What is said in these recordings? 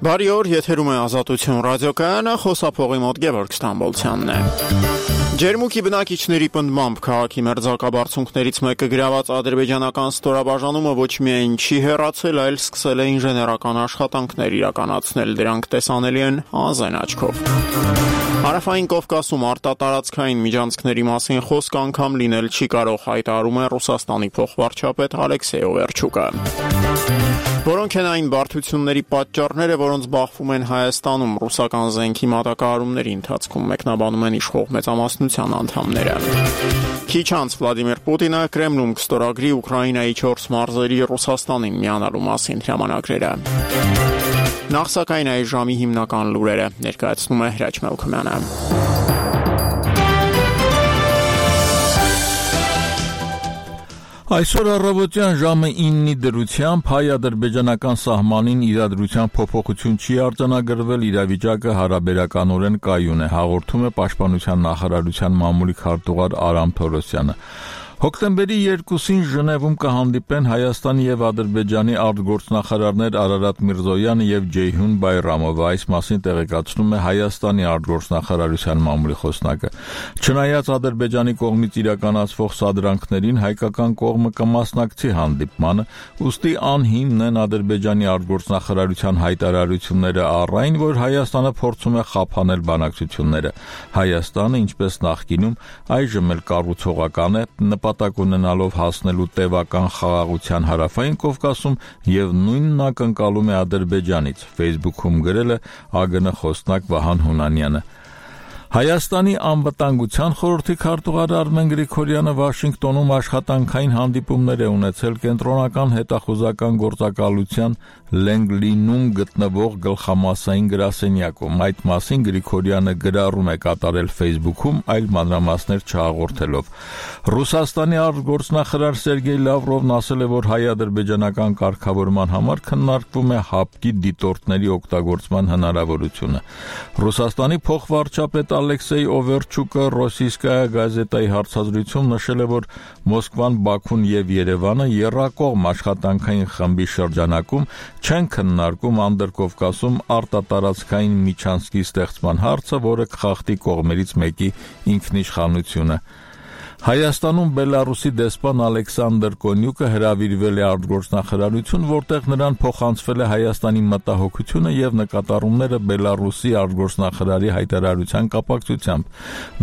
Բարի օր, եթերում է Ազատություն ռադիոկայանը, խոսափողի մոտ Գևորգ Ստամբոլցյանն է։ Ջերմուկի բնակիչների պնդմամբ քաղաքի մերձակաբարձունքներից մեկը գրաված ադրբեջանական ստորաբաժանումը ոչ միայն չի հեռացել, այլ սկսել է ինժեներական աշխատանքներ իրականացնել, դրանք տեսանելի են անզեն աչքով։ Հարավային Կովկասում արտատարածքային միջանցքների մասին խոսք անգամ լինել չի կարող, հայտարարում է Ռուսաստանի փոխվարչապետ Ալեքսեյ Օվերչուկը։ Որոնք են այն բարդությունների պատճառները, որոնց բախվում են Հայաստանում ռուսական զենքի մատակարարումների ընթացքում, մեկնաբանում են իշխող մեծամասնության անդամները։ Քիչ անց Վլադիմիր Պուտինը Կրեմլում կստորագրի Ուկրաինայի 4 մարզերի Ռուսաստանին միանալու մասին հրամանագրերը։ Նախ սակայն այս ժամի հիմնական լուրերը ներկայացնում է Հրաչ Մելքոմյանը։ Այսօր առավոտյան ժամը 9-ի դրությամբ հայ-ադրբեջանական սահմանին իրադրության փոփոխություն չի արձանագրվել, իրավիճակը հարաբերականորեն կայուն է, հաղորդում է Պաշտպանության նախարարության մամուլի քարտուղար Արամ Թորոսյանը։ Հոկտեմբերի 2-ին Ժնևում կհանդիպեն Հայաստանի եւ Ադրբեջանի արտգործնախարարներ Արարատ Միրզոյանը եւ Ջեյհուն Բայրամովը, այս մասին տեղեկացնում է Հայաստանի արտգործնախարարության մամուլի խոսնակը։ Չնայած Ադրբեջանի կողմից իրականացվող սադրանքներին, հայկական կողմը կմասնակցի հանդիպմանը, ուստի անհիմն են Ադրբեջանի արտգործնախարարության հայտարարությունները առ այն, որ Հայաստանը փորձում է խափանել բանակցությունները։ Հայաստանը, ինչպես նախկինում, այժմ էլ կառուցողական է, նպատակ ունենալով հասնելու տևական խաղաղության Հարավային Կովկասում եւ նույնն ակնկալում է Ադրբեջանից, Facebook-ում գրել է ԱԳՆ խոսնակ Վահան Հունանյանը։ Հայաստանի անվտանգության խորհրդի քարտուղար Արմեն Գրիգորյանը Վաշինգտոնում աշխատանքային հանդիպումներ է ունեցել կենտրոնական հետախուզական գործակալության Լենգլինում գտնվող գլխամասային գրասենյակում։ Այդ մասին Գրիգորյանը գրառում է կատարել Facebook-ում, այլ մանրամասներ չհաղորդելով։ Ռուսաստանի արտգործնախարար Սերգեյ Լավրովն ասել է, որ հայ-ադրբեջանական կարգավորման համար քննարկվում է հապկի դիտորդների օգտագործման հնարավորությունը։ Ռուսաստանի փոխվարչապետ Ալեքսեյ Օվերչուկը Ռոսիյսկայա գազետայի հարցազրույցում նշել է, որ Մոսկվան, Բաքուն եւ Երևանը եռակողմ աշխատանքային խմբի շրջանակում չեն քննարկում Անդրկովկասում արտատարածքային միջանցքի ստեղծման հարցը, որը կխախտի կողմերից մեկի ինքնիշխանությունը։ Հայաստանում Բելարուսի դեսպան Ալեքսանդր Կոնյուկը հրավիրվել է արտգործնախարարություն, որտեղ նրան փոխանցվել է Հայաստանի մտահոգությունը եւ նկատառումները Բելարուսի արտգործնախարարի հայտարարության կապակցությամբ։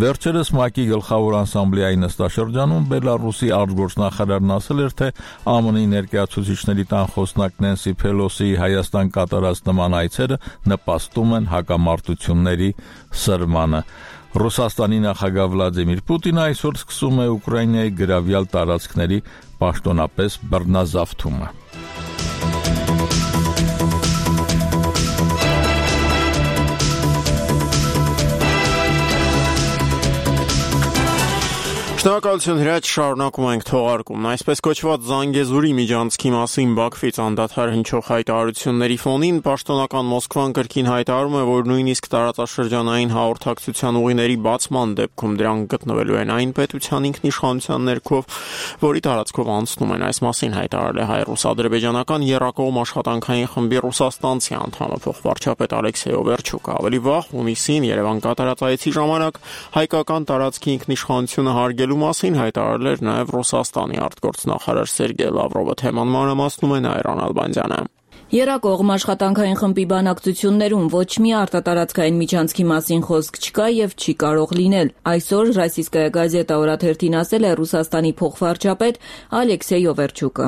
Վերջերս ՄԱԿ-ի գլխավոր ասամբլեայի նստաշրջանում Բելարուսի արտգործնախարարն ասել էր, թե ԱՄՆ-ի ներկայացուցիչների տան խոսնակ Նենսի Փելոսիի Հայաստան կատարած նման այցերը նպաստում են հակամարտությունների սրմանը։ Ռուսաստանի նախագահ Վլադիմիր Պուտինը այսօր սկսում է Ուկրաինայի գրավյալ տարածքների պաշտոնապես բռնազավթումը։ Շնորհակալություն Հրաչ, շարունակում ենք թողարկումն։ Այսպես կոչված Զանգեզուրի միջանցքի մասին Բաքվից անդադար հնչող հայտարարությունների ֆոնին պաշտոնական Մոսկվան կրկին հայտարարում է, որ նույնիսկ տարածաշրջանային հաղորդակցության ուղիների բացման դեպքում դրանք գտնվելու են այն պետության ինքնիշխանության ներքո, որի տարածքով անցնում են։ Այս մասին հայտարարել է հայ-ռուս-ադրբեջանական եռակողմ աշխատանքային խմբի ռուսաստանցի անդամը փոխվարչապետ Ալեքսեյ Օվերչուկը։ Ավելի վաղ հունիսին Երևան կատարած այցի ժամանակ հայկական տարածքի ինքնիշխանությունը հարգելու մասին հայտարարել էր նաև Ռուսաստանի արտգործնախարար Սերգեյ Լավրովը, թեման մանրամասնում է Նայիրան Ալբանդյանը։ Եռակողմ աշխատանքային խմբի բանակցություններում ոչ մի արտատարածքային միջանցքի մասին խոսք չկա եւ չի կարող լինել։ Այսօր Ռոսիյսկայա գազետա օրաթերթին ասել է Ռուսաստանի փոխվարչապետ Ալեքսեյ Օվերչուկը։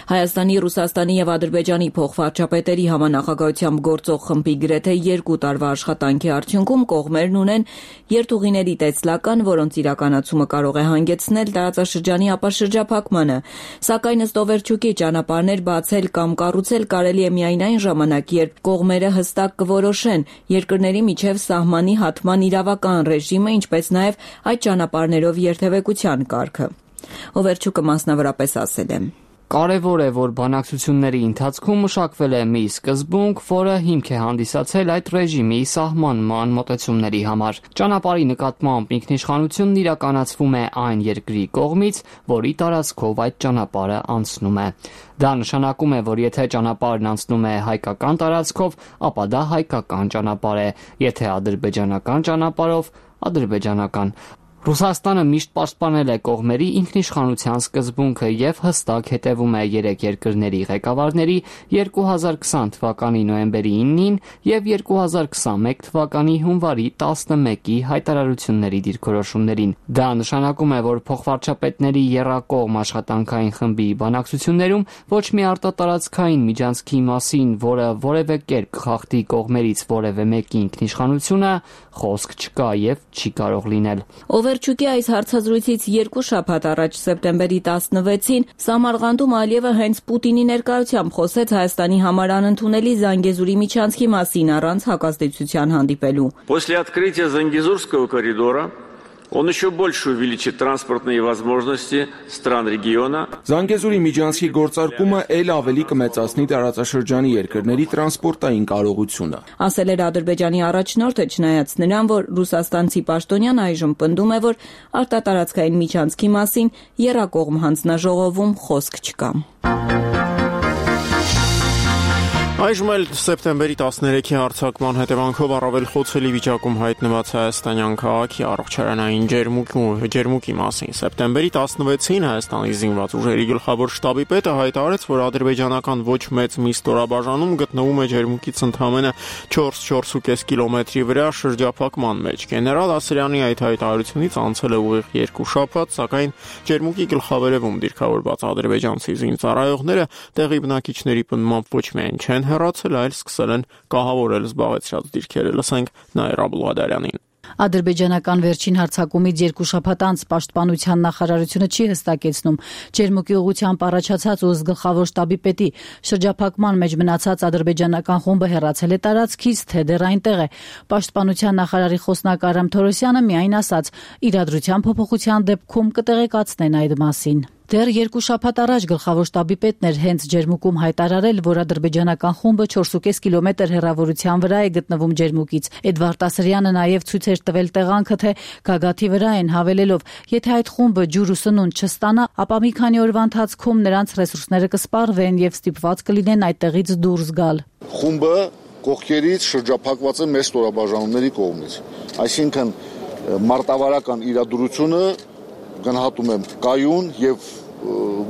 Հայաստանի, Ռուսաստանի եւ Ադրբեջանի փոխվարչապետերի համանախագահությամբ գործող խմբի գրեթե 2 տարվա աշխատանքի արդյունքում կողմերն ունեն երթուղիների տեսլական, որոնց իրականացումը կարող է հանգեցնել տարածաշրջանի ապաշրջափակմանը։ Սակայն ըստ Օվերչուկի ճանապարհներ բացել կամ կառուցել կարելի է միայն այն ժամանակ, երբ կողմերը հստակ կորոշեն երկրների միջև սահմանի հատման իրավական ռեժիմը, ինչպես նաև այդ ճանապարհներով երթևեկության կարգը։ Օվերչուկը մասնավորապես ասել է. Կարևոր է, որ բանակցությունների ընթացքում մշակվել է մի սկզբունք, որը հիմք է հանդիսացել այդ ռեժիմի սահմանման մոտեցումների համար։ Ճանապարհի նկատմամբ ինքնիշխանությունն իրականացվում է այն երկրի կողմից, որի տարածքով այդ ճանապարհը անցնում է։ Դա նշանակում է, որ եթե ճանապարհն անցնում է հայկական տարածքով, ապա դա հայկական ճանապարհ է, եթե ադրբեջանական ճանապարհով՝ ադրբեջանական։ Ռուսաստանը միշտ պաշտպանել է կողմերի ինքնիշխանության սկզբունքը եւ հստակ հետևում է երեք երկրների ղեկավարների 2020 թվականի նոյեմբերի 9-ին եւ 2021 թվականի հունվարի 11-ի հայտարարությունների դիրքորոշումներին։ Դա նշանակում է, որ փոխվարչապետների եռակողմ աշխատանքային խմբի բանակցություններում ոչ մի արտատարածքային միջանցքի մասին, որը որևէ կերպ խախտի կողմերից որևէ մեկի ինքնիշխանությունը, խոսք չկա եւ չի կարող լինել։ Օվերչուկի այս հարցազրույցից 2 շաբաթ առաջ սեպտեմբերի 16-ին Սամարղանդում Ալիևը հենց Պուտինի ներկայությամբ խոսեց Հայաստանի համար անընդունելի Զանգեզուրի միջանցքի մասին առանց հակազդեցության հանդիպելու։ После открытия Зангезурского коридора он еще больше увеличит транспортные возможности стран региона. Զանգեզուրի միջանցքի գործարկումը ել ավելի կմեծացնի տարածաշրջանի երկրների տրանսպորտային կարողությունը։ Ասել էր Ադրբեջանի առաջնորդը, չնայած նրան, որ ռուսաստանցի պաշտոնյան այժմ պնդում է, որ արտատարածքային միջանցքի մասին եռակողմ հանձնաժողովում խոսք չկա։ Այժմ էլ սեպտեմբերի 13-ի հարձակման հետևանքով առավել խոցելի վիճակում հայտնված հայաստանյան քաղաքի առողջարանային ջերմուկի մասին։ Սեպտեմբերի 16-ին Հայաստանի զինված ուժերի գլխավոր շտաբի պետը հայտարարեց, որ ադրբեջանական ոչ մեծ մի ստորաբաժանում գտնվում է ջերմուկից ընդամենը 4-4.5 կիլոմետրի վրա շրջափակման մեջ։ Գեներալ Ասրյանի այդ հայտարարությունից անցել է ուղիղ 2 շաբաթ, սակայն ջերմուկի գլխավերևում դիրքավորված ադրբեջանցի զինծառայողները տեղի բնակիչների պնդմամբ ոչ միայն չեն հեռացել, այլ սկսել են կահավորել զբաղեցրած դիրքերը։ Լսենք Նաիրա Բուլղադարյանին։ Ադրբեջանական վերջին հարձակումից 2 շաբաթ անց Պաշտպանության նախարարությունը չի հստակեցնում ջերմուկի ուղղությամբ առաջացած ու գլխավոր շտաբի պետի շրջափակման մեջ մնացած ադրբեջանական խումբը հեռացել է տարածքից, թե դեռ այնտեղ է։ Պաշտպանության նախարարի խոսնակ Արամ Թորոսյանը միայն ասաց՝ իրադրության փոփոխության դեպքում կտեղեկացնեն այդ մասին։ Դեռ 2 շաբաթ առաջ գլխավոր շտաբի պետն էր հենց ջերմուկում հայտարարել, որ ադրբեջանական խումբը 4.5 կիլոմետր հեռավորության վրա է գտնվում ջերմուկից։ Էդվարդ Ասրյանը նաև ցույց էր տվել տեղանքը, թե գագաթի վրա են, հավելելով, եթե այդ խումբը ջուր ու սնունդ չստանա, ապա մի քանի օրվա ընթացքում նրանց ռեսուրսները կսպառվեն եւ ստիպված կլինեն այդտեղից դուրս գալ։ Խումբը կողքերից շրջափակված է մեծ ստորաբաժանումների կողմից։ Այսինքն մարտավարական իրադրությունը գնահատում եմ կայուն եւ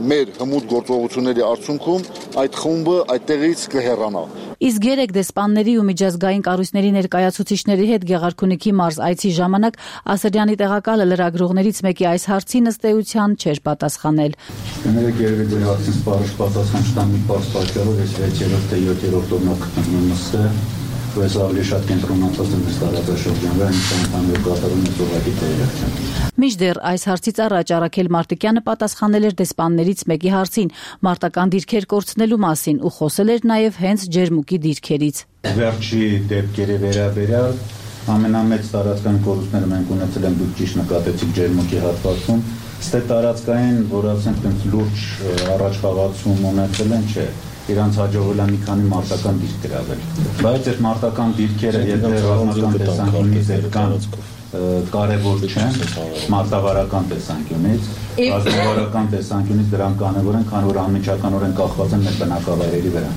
մեր հմուտ գործողությունների արդյունքում այդ խումբը այդտեղից կհեռանա։ Իսկ երեք դեսպանների ու միջազգային կառույցների ներկայացուցիչների հետ Գեղարքունիքի մարզ այցի ժամանակ Ասրյանի տեղակալը լրագրողներից մեկի այս հարցին ըստ էության չէր պատասխանել։ Կներեք, երևի ձեր հարցին սպառիչ պատասխան չտամ մի պարզ պատճառով, ես 6-րդ թե 7-րդ օրնակ գտնվում եմ Ես ավելի շատ կենտրոնացած եմ տարածաշրջան վրա, ընդհանուր կատարում եմ զովակի տեղեկացում։ Մինչդեռ այս հարցից առաջ Արաքել Մարտիկյանը պատասխանել էր դեսպաններից մեկի հարցին մարտական դիրքեր կորցնելու մասին ու խոսել էր նաև հենց ջերմուկի դիրքերից։ Վերջի դեպքերի վերաբերյալ ամենամեծ տարածքային կորուստները մենք ունեցել ենք, դուք ճիշտ նկատեցիք ջերմուկի հատվածում, ստե տարածքային, որ ասենք լուրջ առաջխաղացում ունեցել են, չէ։ Իրանց հաջողվել է մի քանի մարտական դիրք գրավել։ Բայց այդ մարտական դիրքերը եթե ռազմական տեսանկյունից կան կարևոր չեն, մարտավարական տեսանկյունից, ռազմավարական տեսանկյունից դրանք կարևոր են, քանի որ անմիջականորեն կախված են մեր բնակավայրերի վրա։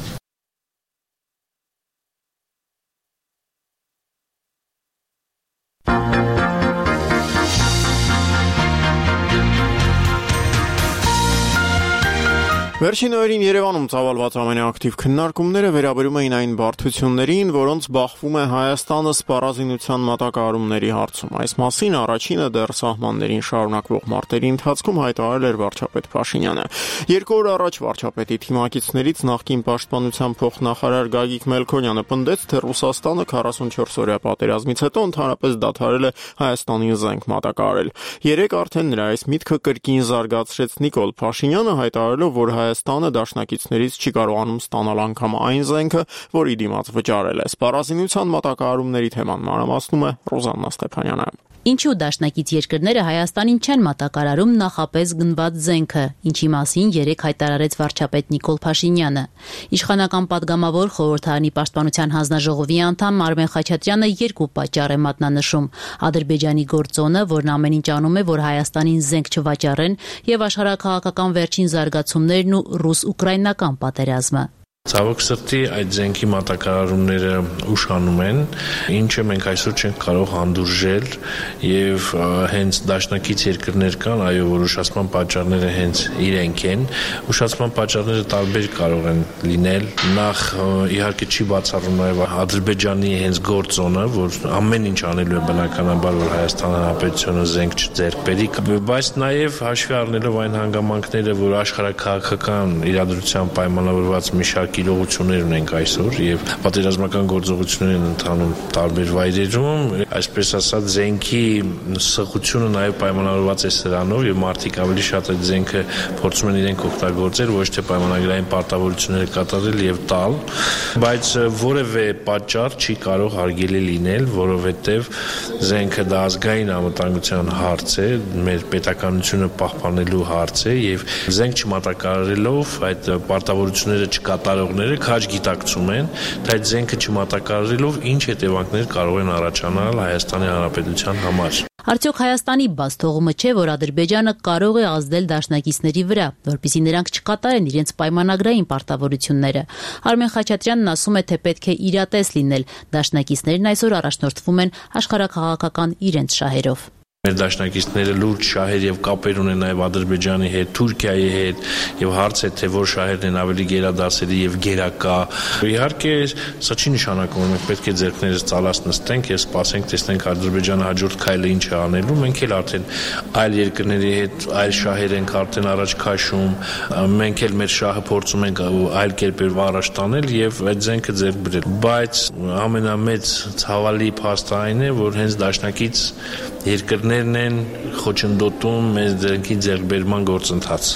Վերջին օրերին Երևանում ծավալված ամենաակտիվ քննարկումները վերաբերում էին այն բարդություններին, որոնց բախվում է Հայաստանը սպառազինության մատակարարումների հարցում։ Այս մասին առաջինը դեռ սահմաններին շարունակվող մարտերի ընթացքում հայտարարել էր վարչապետ Փաշինյանը։ 2 օր առաջ վարչապետի թիմակիցներից նախկին պաշտպանության փոխնախարար Գագիկ Մելքոնյանը պնդեց, թե Ռուսաստանը 44-օրյա պատերազմից հետո ընդհանրապես դադարել է Հայաստանին զենք մատակարարել։ Երեք արդեն նրա այս միտքը կրկին զարգացրեց Նիկոլ Փաշինյանը, հայտարարելով, որ Հայաստանը դաշնակիցներից չի կարողանում ստանալ անգամ այն զենքը, որի դիմաց վճարել է։ Սպառազինության մատակարարումների թեման մանրամասնում է Ռոզաննա Ստեփանյանը։ Ինչու դաշնակից երկրները Հայաստանին չեն մատակարարում նախապես գնված զենքը, ինչի մասին երեկ հայտարարեց վարչապետ Նիկոլ Փաշինյանը։ Իշխանական падգամավոր խորհրդարանի պաշտպանության հանձնաժողովի անդամ Արմեն Խաչատրյանը երկու պատճառ է մատնանշում՝ Ադրբեջանի գործոնը, որն ամեն ինչ անում է, որ Հայաստանին զենք չվաճառեն, եւ աշխարհաքաղաքական վերջին զարգացումներն ու ռուս-ուկրաինական պատերազմը։ Ցավոք սրտի այդ զենքի մատակարարումները ուշանում են, ինչը մենք այսօր չենք կարող հանդուրժել եւ հենց դաշնակից երկրներ կան, այո, որ ուշացման պատճառները հենց իրենք են։ Ուշացման պատճառները տարբեր կարող են լինել։ Նախ իհարկե չի բացառում նաեւ Ադրբեջանի հենց գործոնը, որ ամեն ինչ անելու է բնականաբար, որ Հայաստան Հանրապետությունը զենք չձեռք բերի, բայց նաեւ հաշվի առնելով այն հանգամանքները, որ աշխարհաքաղաքական իրադրության պայմանավորված մի շարք իրողություններ ունենք այսօր եւ պատերազմական գործողություններ են ընթանում տարբեր վայրերում, այսպես ասած զենքի սղությունը նաեւ պայմանավորված է սրանով եւ մարդիկ ավելի շատ այդ զենքը փորձում են իրենք օգտագործել, ոչ թե պայմանագրային պարտավորությունները կատարել եւ տալ, բայց որևէ պատճառ չի կարող հարգելի լինել, որովհետեւ զենքը դա ազգային անվտանգության հարց է, մեր պետականությունը պահպանելու հարց է եւ զենք չմատակարարելով այդ պարտավորությունները չկատարող քաջ գիտակցում են, թե այդ զենքը չմատակարարելով ինչ հետևանքներ կարող են առաջանալ Հայաստանի Հանրապետության համար։ Արդյոք Հայաստանի բաց թողումը չէ, որ Ադրբեջանը կարող է ազդել դաշնակիցների վրա, որպեսզի նրանք չկատարեն իրենց պայմանագրային պարտավորությունները։ Արմեն Խաչատրյանն ասում է, թե պետք է իրատես լինել։ Դաշնակիցներն այսօր առաջնորդվում են աշխարհաքաղաքական իրենց շահերով։ Մեր դաշնակիցները լուրջ շահեր եւ կապեր ունեն նաեւ Ադրբեջանի հետ, Թուրքիայի հետ եւ հարց է թե որ շահերն են ավելի գերադասելի եւ գերակա։ Իհարկե, սա չի նշանակում, որ մենք պետք է ձեռքներս ծալած նստենք եւ սպասենք, տեսնենք Ադրբեջանը հաջորդ քայլը ինչ է անելու։ Մենք էլ արդեն այլ երկրների հետ այլ շահեր ենք արդեն առաջ քաշում։ Մենք էլ մեր շահը փորձում ենք այլ կերպերով առաջ տանել եւ այդ զենքը ձեռք բերել։ Բայց ամենամեծ ցավալի փաստը այն է, որ հենց դաշնակից երկրներն են խոչընդոտում մեր զենքի ձեռքբերման գործընթաց։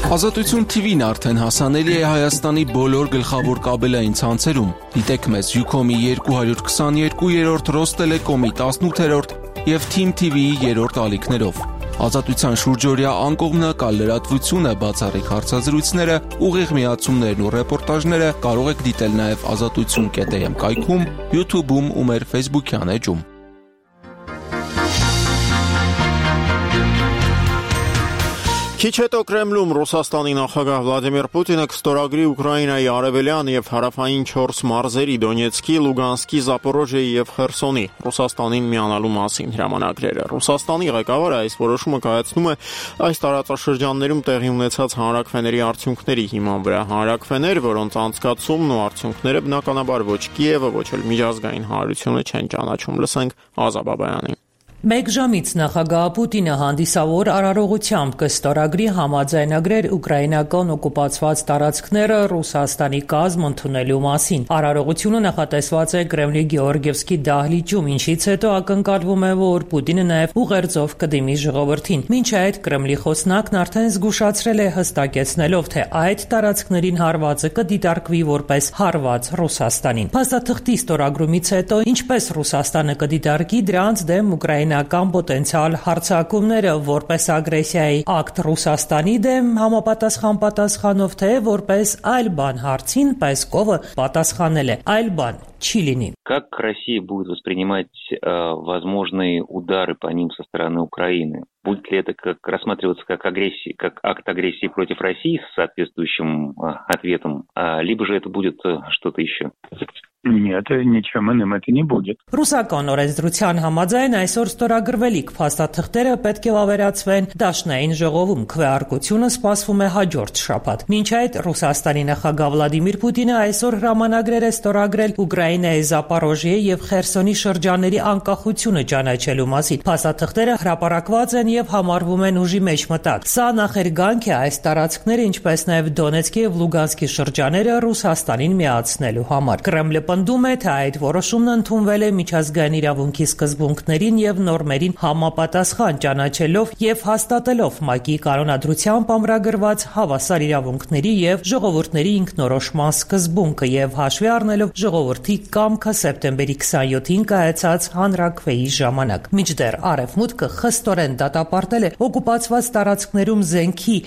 Ազատություն TV-ն արդեն հասանելի է Հայաստանի բոլոր գլխավոր կաբելային ցանցերում։ Դիտեք մեզ Ucom-ի 222-րդ, Ռոստելեկոմի 18-րդ եւ Team TV-ի 3-րդ ալիքներով։ Ազատության շուրջօրյա անկողմնակալ լրատվությունը, բացառիկ հարցազրույցները, ուղիղ միացումներն ու ռեպորտաժները կարող եք դիտել նաեւ azatutsun.am կայքում, YouTube-ում ու մեր Facebook-յան էջում։ Քիչ հետո Կրեմլում Ռուսաստանի նախագահ Վլադիմիր Պուտինը կստորագրի Ուկրաինայի արևելյան եւ հարավային 4 մարզերի Դոնեցկի, Լուգանսկի, Զապորոժիեի եւ Խերսոնի Ռուսաստանին միանալու մասին հրամանագրերը։ Ռուսաստանի ղեկավարը այս որոշումը կայացնում է այս տարածաշրջաններում տեղի ունեցած հանրաքվեների արդյունքների հիման վրա։ Հանրաքվեներ, որոնց անցկացումն ու արդյունքները բնականաբար ոչ Կիևը, ոչ էլ միջազգային հանրությունը չեն ճանաչում։ Լսենք Ազա Բաբայանին։ Մեկ ժամից նախագահ Պուտինը հանդիսավոր արարողությամբ կստորագրի համաձայնագրեր ուկրաինական օկուպացված տարածքները Ռուսաստանի կազմ ընդունելու մասին։ Արարողությունը նախատեսված է Կրեմլի Գեորգիևսկի դահլիճում, ինչից հետո ակնկալվում է, որ Պուտինը նաև ուղերձով կդիմի ժողովրդին։ Մինչ այդ Կրեմլի խոսնակն արդեն զգուշացրել է հստակեցնելով, թե այդ տարածքներին հարվածը կդիտարկվի որպես հարված Ռուսաստանին։ Փաստաթղթի ստորագրումից հետո ինչպես Ռուսաստանը կդիտարկի դրանց դեմ ուկրաինական պոտենցիալ հարձակումները որպես ագրեսիայի ակտ Ռուսաստանի դեմ համապատասխան պատասխանով, թե որպես այլ բան հարցին Պեսկովը պատասխանել է այլ բան չի լինի։ Как Россия будет воспринимать возможные удары по ним со стороны Украины? Будет ли это рассматриваться как агрессия, как акт агрессии против России с соответствующим ответом, либо же это будет что-то еще? Нет, ничем иным это не будет. Ռուսական օրենսդրության համաձայն այսօր ստորագրվելիք փաստաթղթերը պետք է ավերացվեն Դաշնային ժողովում։ Քվեարկությունը սպասվում է հաջորդ շաբաթ։ Մինչ այդ Ռուսաստանի նախագահ Վլադիմիր Պուտինը այսօր հրամանագրեր է ստորագրել Ուկրաինայի Զապորոժիեի եւ Խերսոնի շրջանների անկախությունը ճանաչելու մասին։ Փաստաթղթերը հրապարակված են եւ համարվում են ուժի մեջ մտած։ Սա նախերգանք է այս տարածքները, ինչպես նաեւ Դոնեցկի եւ Լուգանսկի շրջանները Ռուսաստանին միացնելու համար։ Կրեմլը պնդում է, թե այդ որոշումն ընդունվել է միջազգային իրավունքի սկզբունքներին եւ նորմերին համապատասխան, ճանաչելով եւ հաստատելով ՄԱԿ-ի կանոնադրությամբ ամրագրված հավասար իրավունքների եւ ժողովուրդների ինքնորոշման սկզբունքը եւ հաշվի առնելով ժողովրդի կամքը սեպտեմբերի 27-ին կայացած հանրաքվեի ժամանակ։ Մինչդեռ Արևմուտքը խստորեն դատապարտել է օկուպացված տարածքներում զենքի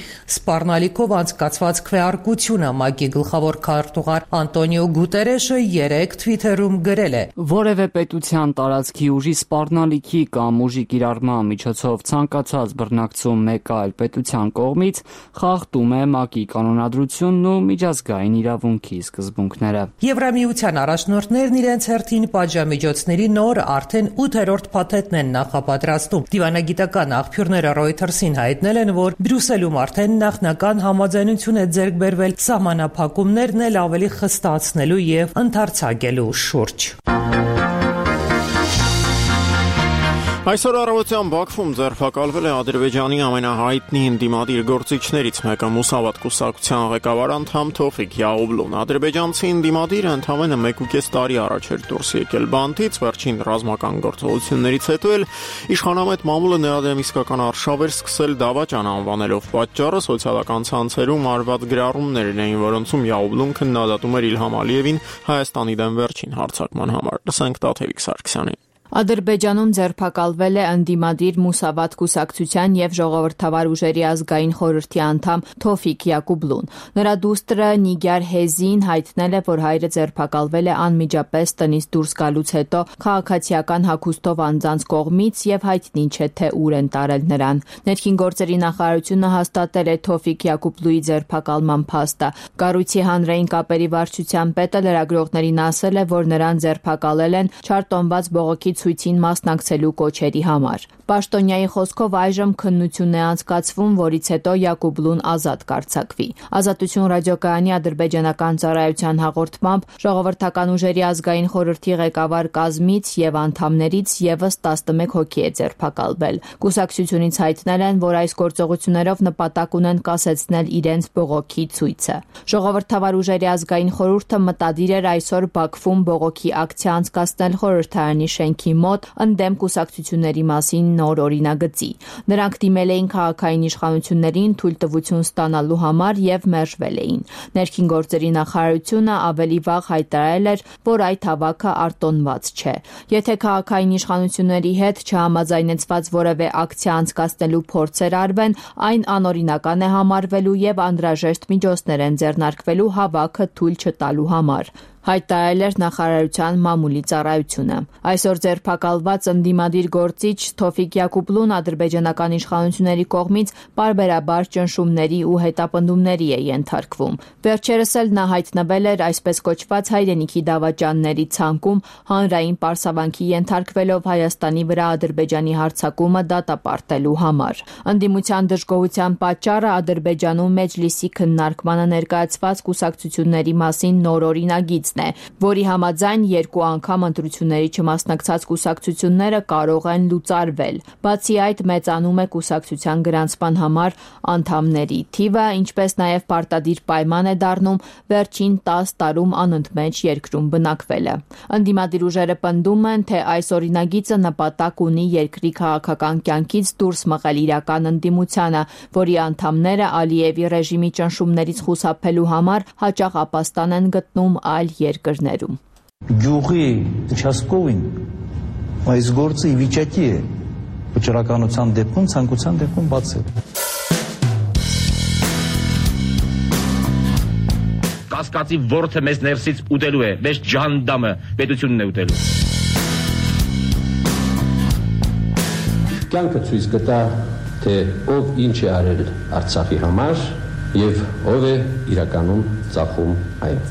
սպառնալիքով անցկացված քվեարկությունը։ ՄԱԿ-ի գլխավոր քարտուղար Անտոնիո Գուտերեշը 3 թվիթերում գրել է. Որևէ պետության տարածքի ուժի սպառնալիքի կամ ուժի կիրառման միջոցով ցանկացած բռնակցում մեկ այլ պետության կողմից խախտում է ՄԱԿ-ի կանոնադրությունն ու միջազգային իրավունքի սկզբունքները։ Եվրամիության առաջնորդներն իրենց հերթին պատժամիջոցների նոր արդեն 8-րդ փաթեթն են նախապատրաստում։ Դիվանագիտական աղբյուրները Reuters-ին հայտնել են, որ Բրյուսելում արդեն նախնական համաձայնություն է ձեռք բերվել սահմանափակումներն էլ ավելի խստացնելու եւ ընդարձակելու շուրջ։ Այսօր առավոտյան Բաքվում ձերբակալվել է Ադրբեջանի ամենահայտնի ընդդիմադիր գործիչներից մեկը Մուսավատ կուսակցության ղեկավար անդամ Թոֆիկ Յաղուբլուն։ Ադրբեջանցի ընդդիմադիրը ընդամենը 1.5 տարի առաջ էր դուրս եկել բանտից, վերջին ռազմական գործողություններից հետո էլ իշխանամետ մամուլը նրա դեմ իսկական արշավ էր սկսել դավաճան անվանելով։ Պատճառը սոցիալական ցանցերում արված գրառումներն էին, որոնցում Յաղուբլուն քննադատում էր Իլհամ Ալիևին Հայաստանի դեմ վերջին հարձակման համար։ Լսենք Տաթևիկ Սարգսյանին։ Ադրբեջանում ձերբակալվել է ընդդիմադիր Մուսավատ կուսակցության եւ ժողովրդավար ուժերի ազգային խորհրդի անդամ Թոֆիկ Յակուբլուն։ Նրա դուստրը Նիգար Հեզին հայտնել է, որ հայրը ձերբակալվել է անմիջապես տնից դուրս գալուց հետո քաղաքացիական հագուստով անձանց կողմից եւ հայտնի չէ, թե ուր են տարել նրան։ Ներքին գործերի նախարարությունը հաստատել է Թոֆիկ Յակուբլուի ձերբակալման փաստը։ Կառույցի հանրային կապերի վարչության պետը լրագրողներին ասել է, որ նրան ձերբակալել են չարտոնված բողոքի ցույցին մասնակցելու կոչերի համար։ Պաշտոնյայի խոսքով այժմ քննություն է անցկացվում, որից հետո Յակուբլուն ազատ կարձակվի։ Ազատություն ռադիոկայանի ադրբեջանական ծառայության հաղորդմամբ ժողովրդական ուժերի ազգային խորհրդի ղեկավար կազմից եւ անդամներից եւս 11 հոգի է ձերբակալվել։ Կուսակցությունից հայտնել են, որ այս գործողություններով նպատակ ունեն կասեցնել իրենց բողոքի ցույցը։ Ժողովրդավար ուժերի ազգային խորհուրդը մտադիր էր այսօր Բաքվում բողոքի ակցիա անցկացնել խորհրդարանի շենքի մոտ ընդդեմ կուսակցությունների մասին նոր օրինագծի։ Նրանք դիմել էին քաղաքային իշխանություններին թույլտվություն ստանալու համար եւ մերժվել էին։ Ներքին գործերի նախարարությունը ավելի վաղ հայտարարել էր, որ այդ հավաքը արտոնված չէ։ Եթե քաղաքային իշխանությունների հետ չհամաձայնեցված որևէ ակցիա անցկացնելու փորձեր արվեն, այն անօրինական է համարվելու եւ անհրաժեշտ միջոցներ են ձեռնարկվելու հավաքը թույլ չտալու համար։ Հայտարարել էր նախարարության մամուլի ծառայությունը։ Այսօր ձերբակալված ընդդիմադիր գործիչ Թոֆիկ Յակուբլուն ադրբեջանական իշխանությունների կողմից պարբերաբար ճնշումների ու հետապնդումների է ենթարկվում։ Վերջերս էլ նա հայտնվել էր այսպես կոչված հայրենիքի դավաճանների ցանկում հանրային պարսավանքի ենթարկվելով Հայաստանի վրա Ադրբեջանի հարձակումը դատապարտելու համար։ Ընդդիմության դժգոհության պատճառը Ադրբեջանում մեջլիսի քննարկմանը ներկայացված կուսակցությունների մասին նոր օրինագիծ որի համաձայն 2 անգամ ընտրությունների չմասնակցած կուսակցությունները կարող են լուծարվել։ Բացի այդ, մեծանում է կուսակցության գրանցման համար անդամների թիվը, ինչպես նաև պարտադիր պայման է դառնում վերջին 10 տարում անընդմեջ երկրում բնակվելը։ Ընդդիմադիր ուժերը պնդում են, թե այս օրինագիծը նպատակ ունի երկրի քաղաքական կյանքից դուրս մղել իրական ընդդիմությանը, որի անդամները Ալիևի ռեժիմի ճնշումներից խուսափելու համար հաճախ ապաստան են գտնում այլ երկրներում։ Գյուղի участковին այս գործը ի վիճակի է վճռականության դեպքում, ցանկության դեպքում բացել։ Կասկածի ворթը մեզ ներսից ուտելու է, մեզ ջանդամը պետությունն է ուտելու։ Կյանքը ցույց կտա, թե ով ինչ է արել Արցախի համար եւ ով է իրականում ծախում այն։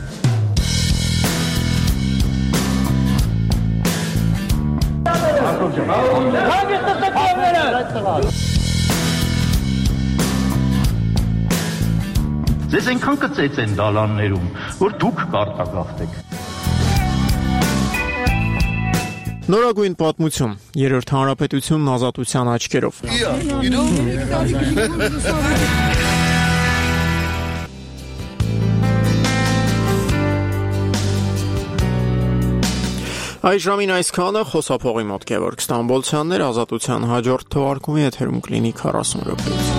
Ձեզ այնքան կծեց են դալաններում, որ դուք կարտագաղթեք։ Նորագույն պատմություն, երրորդ հանրապետությունն ազատության աչքերով։ Այս ժամին այսքանը, խոսափողի մոտ Գևորգ Ստամբոլցյանն էր, Ազատության հաջորդ թողարկումի եթերում կլինի 40 րոպեից։